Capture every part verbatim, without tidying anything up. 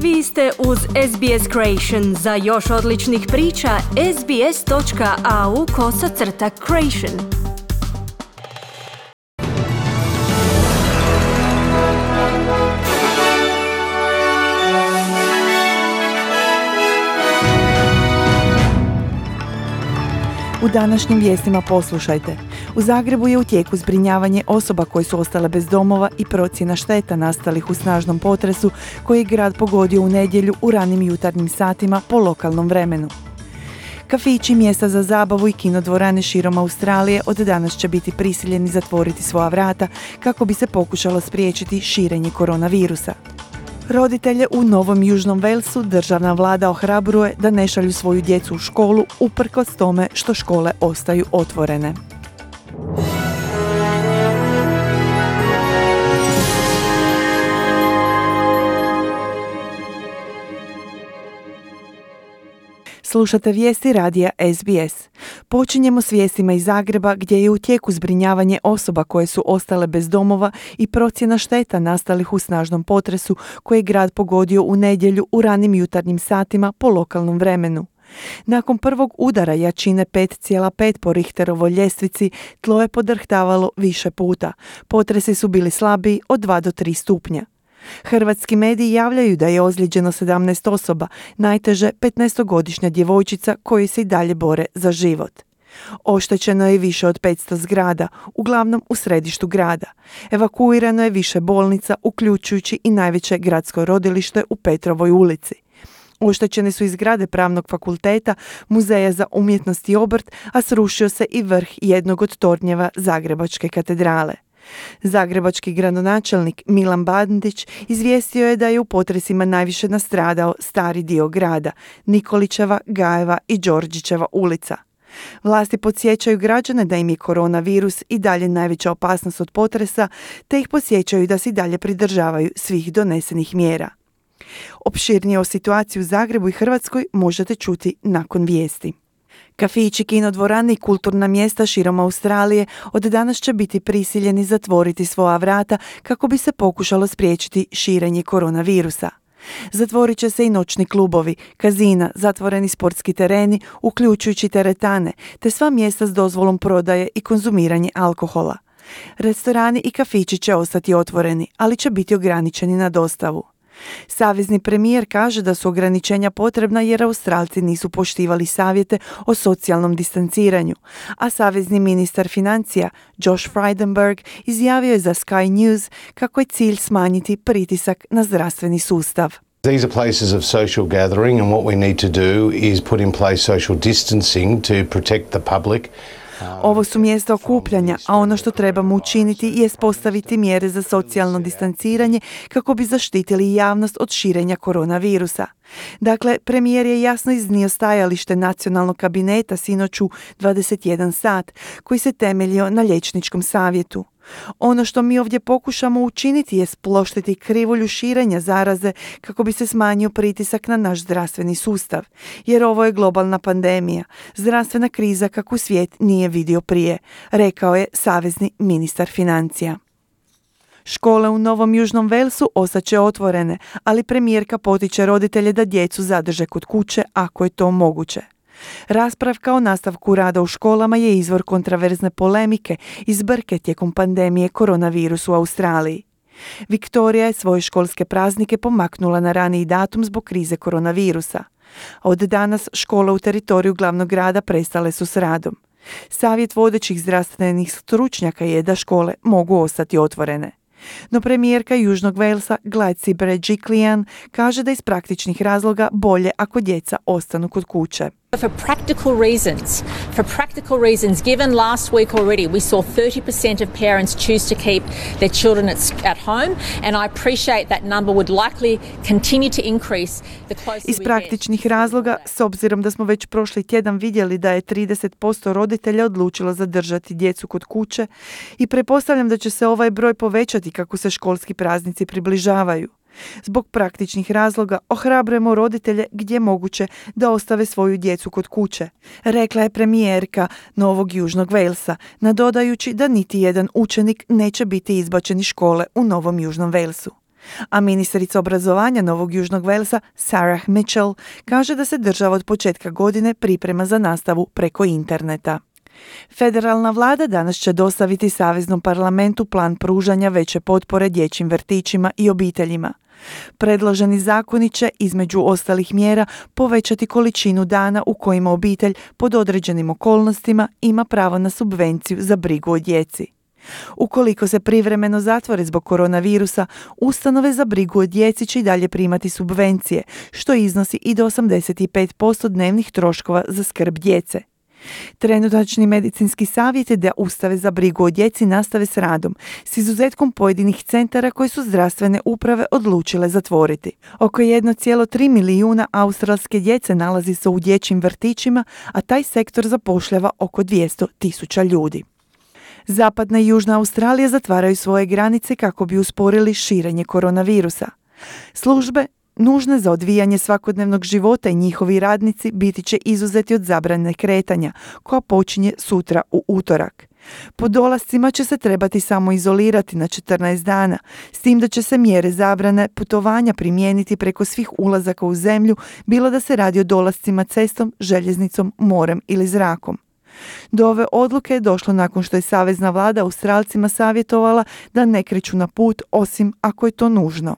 Vi ste uz S B S Creation. Za još odličnih priča, sbs.au kosacrta creation. U današnjim vijestima poslušajte. U Zagrebu je u tijeku zbrinjavanje osoba koje su ostale bez domova i procjena šteta nastalih u snažnom potresu koji je grad pogodio u nedjelju u ranim jutarnjim satima po lokalnom vremenu. Kafići, mjesta za zabavu i kinodvorane širom Australije od danas će biti prisiljeni zatvoriti svoja vrata kako bi se pokušalo spriječiti širenje koronavirusa. Roditelje u Novom Južnom Walesu državna vlada ohrabruje da ne šalju svoju djecu u školu uprkos tome što škole ostaju otvorene. Slušate vijesti radija S B S. Počinjemo s vijestima iz Zagreba gdje je u tijeku zbrinjavanje osoba koje su ostale bez domova i procjena šteta nastalih u snažnom potresu koji je grad pogodio u nedjelju u ranim jutarnjim satima po lokalnom vremenu. Nakon prvog udara jačine pet zarez pet po Richterovoj ljestvici, tlo je podrhtavalo više puta. Potresi su bili slabiji od dva do tri stupnja. Hrvatski mediji javljaju da je ozlijeđeno sedamnaest osoba, najteže petnaestogodišnja djevojčica koji se i dalje bore za život. Oštećeno je više od petsto zgrada, uglavnom u središtu grada. Evakuirano je više bolnica, uključujući i najveće gradsko rodilište u Petrovoj ulici. Oštećene su i zgrade Pravnog fakulteta, Muzeja za umjetnost i obrt, a srušio se i vrh jednog od tornjeva Zagrebačke katedrale. Zagrebački gradonačelnik Milan Bandić izvijestio je da je u potresima najviše nastradao stari dio grada, Nikolićeva, Gajeva i Đorđićeva ulica. Vlasti podsjećaju građane da im je koronavirus i dalje najveća opasnost od potresa, te ih podsjećaju da se i dalje pridržavaju svih donesenih mjera. Opširnije o situaciji u Zagrebu i Hrvatskoj možete čuti nakon vijesti. Kafići, kinodvorane i kulturna mjesta širom Australije od danas će biti prisiljeni zatvoriti svoja vrata kako bi se pokušalo spriječiti širenje koronavirusa. Zatvorit će se i noćni klubovi, kazina, zatvoreni sportski tereni, uključujući teretane, te sva mjesta s dozvolom prodaje i konzumiranje alkohola. Restorani i kafići će ostati otvoreni, ali će biti ograničeni na dostavu. Savezni premijer kaže da su ograničenja potrebna jer Australci nisu poštivali savjete o socijalnom distanciranju, a savezni ministar financija Josh Frydenberg izjavio je za Sky News kako je cilj smanjiti pritisak na zdravstveni sustav. These are places of social gathering and what we need to do is put in place social distancing to protect the public. Ovo su mjesta okupljanja, a ono što trebamo učiniti je postaviti mjere za socijalno distanciranje kako bi zaštitili javnost od širenja koronavirusa. Dakle, premijer je jasno iznio stajalište nacionalnog kabineta sinoć u dvadeset jedan sat, koji se temeljio na liječničkom savjetu. Ono što mi ovdje pokušamo učiniti je sploštiti krivulju širenja zaraze kako bi se smanjio pritisak na naš zdravstveni sustav, jer ovo je globalna pandemija, zdravstvena kriza kakvu svijet nije vidio prije, rekao je savezni ministar financija. Škole u Novom Južnom Walesu ostat će otvorene, ali premijerka potiče roditelje da djecu zadrže kod kuće ako je to moguće. Raspravka o nastavku rada u školama je izvor kontraverzne polemike i zbrke tijekom pandemije koronavirusa u Australiji. Viktorija je svoje školske praznike pomaknula na raniji datum zbog krize koronavirusa. Od danas škole u teritoriju glavnog grada prestale su s radom. Savjet vodećih zdravstvenih stručnjaka je da škole mogu ostati otvorene. No premijerka Južnog Walesa Gladys Berejiklian kaže da iz praktičnih razloga bolje ako djeca ostanu kod kuće. For practical reasons, for practical reasons, given last week already we saw thirty percent of parents choose to keep their children at, at home, and I appreciate that number would likely continue to increase the closer Iz we praktičnih get. razloga, s obzirom da smo već prošli tjedan vidjeli da je trideset posto roditelja odlučilo zadržati djecu kod kuće i pretpostavljam da će se ovaj broj povećati kako se školski praznici približavaju. Zbog praktičnih razloga ohrabrujemo roditelje gdje moguće da ostave svoju djecu kod kuće, rekla je premijerka Novog Južnog Walesa, nadodajući da niti jedan učenik neće biti izbačen iz škole u Novom Južnom Walesu. A ministrica obrazovanja Novog Južnog Walesa Sarah Mitchell kaže da se država od početka godine priprema za nastavu preko interneta. Federalna vlada danas će dostaviti Saveznom parlamentu plan pružanja veće potpore dječjim vrtićima i obiteljima. Predloženi zakoni će, između ostalih mjera, povećati količinu dana u kojima obitelj pod određenim okolnostima ima pravo na subvenciju za brigu o djeci. Ukoliko se privremeno zatvore zbog koronavirusa, ustanove za brigu o djeci će i dalje primati subvencije, što iznosi i do osamdeset pet posto dnevnih troškova za skrb djece. Trenutačni medicinski savjet je da ustave za brigu o djeci nastave s radom, s izuzetkom pojedinih centara koje su zdravstvene uprave odlučile zatvoriti. Oko jedan zarez tri milijuna australske djece nalazi se u dječjim vrtićima, a taj sektor zapošljava oko dvjesto tisuća ljudi. Zapadna i Južna Australija zatvaraju svoje granice kako bi usporili širenje koronavirusa. Službe nužne za odvijanje svakodnevnog života i njihovi radnici biti će izuzeti od zabrane kretanja, koja počinje sutra u utorak. Po dolascima će se trebati samo izolirati na četrnaest dana, s tim da će se mjere zabrane putovanja primijeniti preko svih ulazaka u zemlju, bilo da se radi o dolascima cestom, željeznicom, morem ili zrakom. Do ove odluke je došlo nakon što je savezna vlada Australcima savjetovala da ne kreću na put osim ako je to nužno.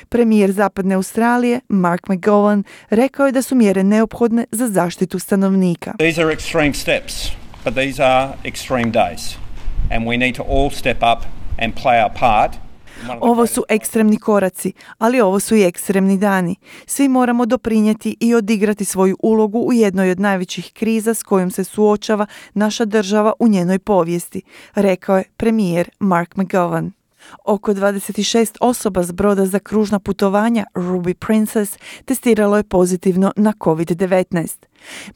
Premijer Zapadne Australije, Mark McGowan, rekao je da su mjere neophodne za zaštitu stanovnika. These are extreme steps, but these are extreme days. And we need to all step up and play our part. Ovo su ekstremni koraci, ali ovo su i ekstremni dani. Svi moramo doprinijeti i odigrati svoju ulogu u jednoj od najvećih kriza s kojom se suočava naša država u njenoj povijesti, rekao je premijer Mark McGowan. Oko dvadeset šest osoba s broda za kružna putovanja Ruby Princess testiralo je pozitivno na kovid devetnaest.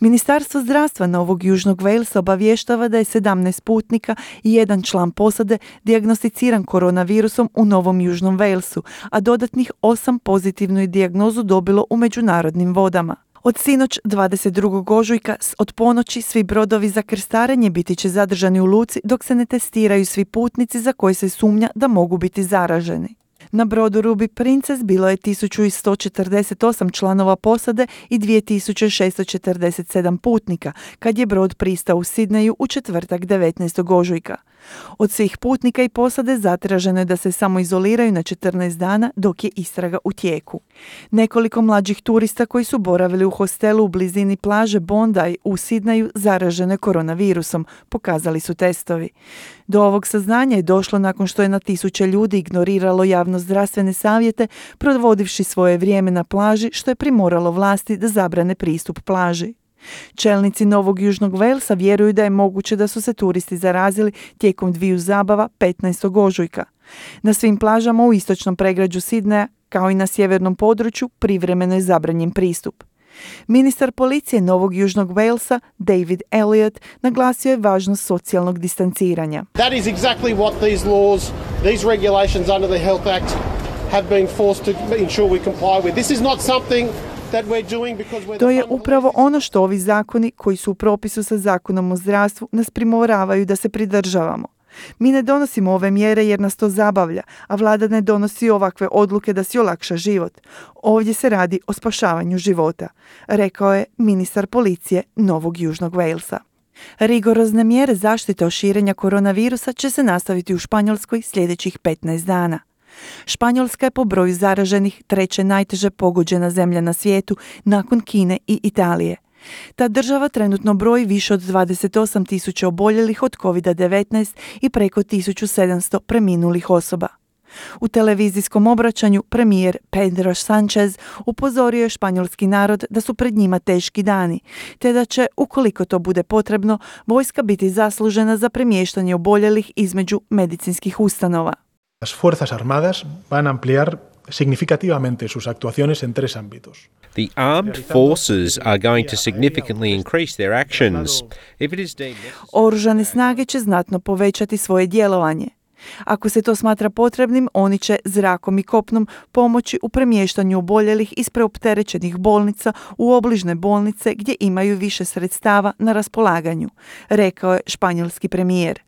Ministarstvo zdravstva Novog Južnog Walesa obavještava da je sedamnaest putnika i jedan član posade dijagnosticiran koronavirusom u Novom Južnom Walesu, a dodatnih osam pozitivnu je dijagnozu dobilo u međunarodnim vodama. Od sinoć dvadeset drugog ožujka od ponoći svi brodovi za krstarenje biti će zadržani u luci dok se ne testiraju svi putnici za koje se sumnja da mogu biti zaraženi. Na brodu Ruby Princess bilo je tisuću sto četrdeset osam članova posade i dvije tisuće šesto četrdeset sedam putnika kad je brod pristao u Sidneju u četvrtak devetnaestog ožujka. Od svih putnika i posade zatraženo je da se samo izoliraju na četrnaest dana dok je istraga u tijeku. Nekoliko mlađih turista koji su boravili u hostelu u blizini plaže Bondi u Sidneju zaražene koronavirusom, pokazali su testovi. Do ovog saznanja je došlo nakon što je na tisuće ljudi ignoriralo javno-zdravstvene savjete, provodivši svoje vrijeme na plaži, što je primoralo vlasti da zabrane pristup plaži. Čelnici Novog Južnog Walesa vjeruju da je moguće da su se turisti zarazili tijekom dviju zabava petnaestog ožujka. Na svim plažama u istočnom pregrađu Sidneja, kao i na sjevernom području, privremeno je zabranjen pristup. Ministar policije Novog Južnog Walesa, David Elliott, naglasio je važnost socijalnog distanciranja. That is exactly what these laws, these regulations under the Health Act have been forced to ensure we comply with. This is not something that we're doing because we're To je upravo ono što ovi zakoni, koji su u propisu sa zakonom o zdravstvu, nas primoravaju da se pridržavamo. Mi ne donosimo ove mjere jer nas to zabavlja, a vlada ne donosi ovakve odluke da si olakša život. Ovdje se radi o spašavanju života, rekao je ministar policije Novog Južnog Walesa. Rigorozne mjere zaštite od širenja koronavirusa će se nastaviti u Španjolskoj sljedećih petnaest dana. Španjolska je po broju zaraženih treće najteže pogođena zemlja na svijetu nakon Kine i Italije. Ta država trenutno broji više od dvadeset osam tisuća oboljelih od kovid devetnaest i preko tisuću sedamsto preminulih osoba. U televizijskom obraćanju premijer Pedro Sánchez upozorio je španjolski narod da su pred njima teški dani, te da će, ukoliko to bude potrebno, vojska biti zaslužena za premještanje oboljelih između medicinskih ustanova. Las Fuerzas Armadas van a ampliar significativamente sus actuaciones en tres ámbitos. The armed forces are going to significantly increase their actions. If it is deemed necessary... Oružane snage će znatno povećati svoje djelovanje. Ako se to smatra potrebnim, oni će zrakom i kopnom pomoći u premještanju oboljelih iz preopterećenih bolnica u obližne bolnice gdje imaju više sredstava na raspolaganju, rekao je španjolski premijer.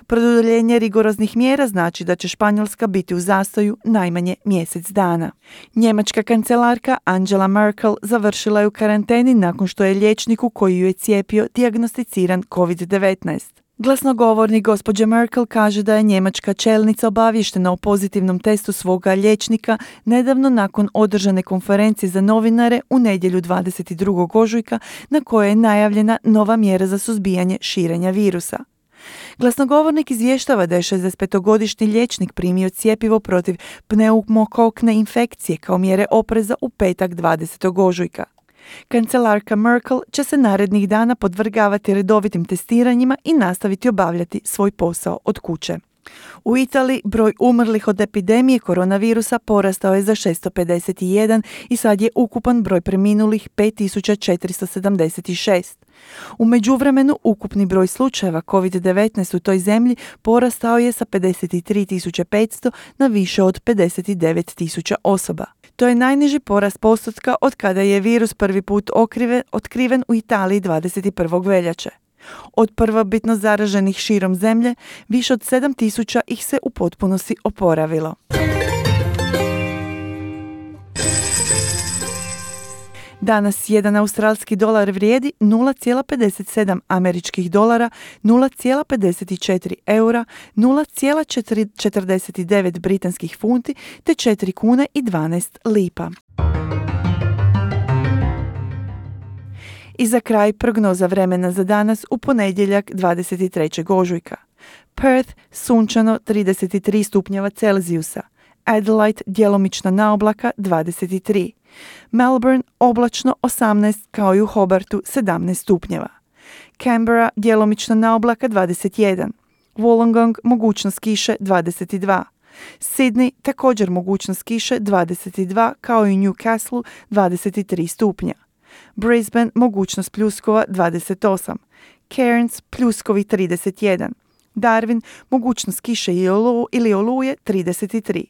Produljenje rigoroznih mjera znači da će Španjolska biti u zastoju najmanje mjesec dana. Njemačka kancelarka Angela Merkel završila je u karanteni nakon što je liječniku koji ju je cijepio dijagnosticiran kovid devetnaest. Glasnogovornik gospođe Merkel kaže da je njemačka čelnica obavještena o pozitivnom testu svoga liječnika nedavno nakon održane konferencije za novinare u nedjelju dvadeset drugog ožujka na kojoj je najavljena nova mjera za suzbijanje širenja virusa. Glasnogovornik izvještava da je šezdesetpetogodišnji liječnik primio cjepivo protiv pneumokokne infekcije kao mjere opreza u petak dvadesetog ožujka. Kancelarka Merkel će se narednih dana podvrgavati redovitim testiranjima i nastaviti obavljati svoj posao od kuće. U Italiji broj umrlih od epidemije koronavirusa porastao je za šesto pedeset jedan i sad je ukupan broj preminulih pet tisuća četiristo sedamdeset šest. U međuvremenu ukupni broj slučajeva kovid devetnaest u toj zemlji porastao je sa pedeset tri tisuće petsto na više od pedeset devet tisuća osoba. To je najniži porast postotka od kada je virus prvi put okrive, otkriven u Italiji dvadeset prvog veljače. Od prvobitno zaraženih širom zemlje, više od sedam tisuća ih se u potpunosti oporavilo. Danas jedan australski dolar vrijedi nula zarez pedeset sedam američkih dolara, nula zarez pedeset četiri eura, nula zarez četrdeset devet britanskih funti te četiri kune i dvanaest lipa. I za kraj prognoza vremena za danas u ponedjeljak dvadeset trećeg ožujka. Perth sunčano trideset tri stupnjeva Celzijusa. Adelaide djelomična naoblaka dvadeset tri. Melbourne oblačno osamnaest kao i u Hobartu sedamnaest stupnjeva. Canberra djelomična naoblaka dvadeset jedan. Wollongong mogućnost kiše dvadeset dva. Sydney također mogućnost kiše dvadeset dva kao i u Newcastle dvadeset tri stupnja. Brisbane mogućnost pljuskova dvadeset osam. Cairns pljuskovi trideset jedan. Darwin mogućnost kiše ili oluje trideset tri.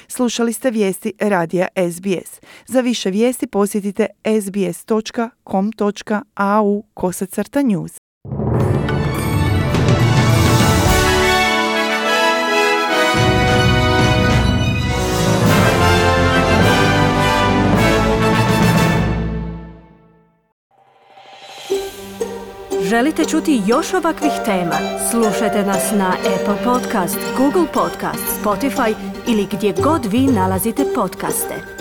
Slušali ste vijesti radija S B S. Za više vijesti posjetite sbs točka com točka a u kosacrta news. Želite čuti još ovakvih tema? Slušajte nas na Apple Podcast, Google Podcast, Spotify ili gdje god vi nalazite podcaste.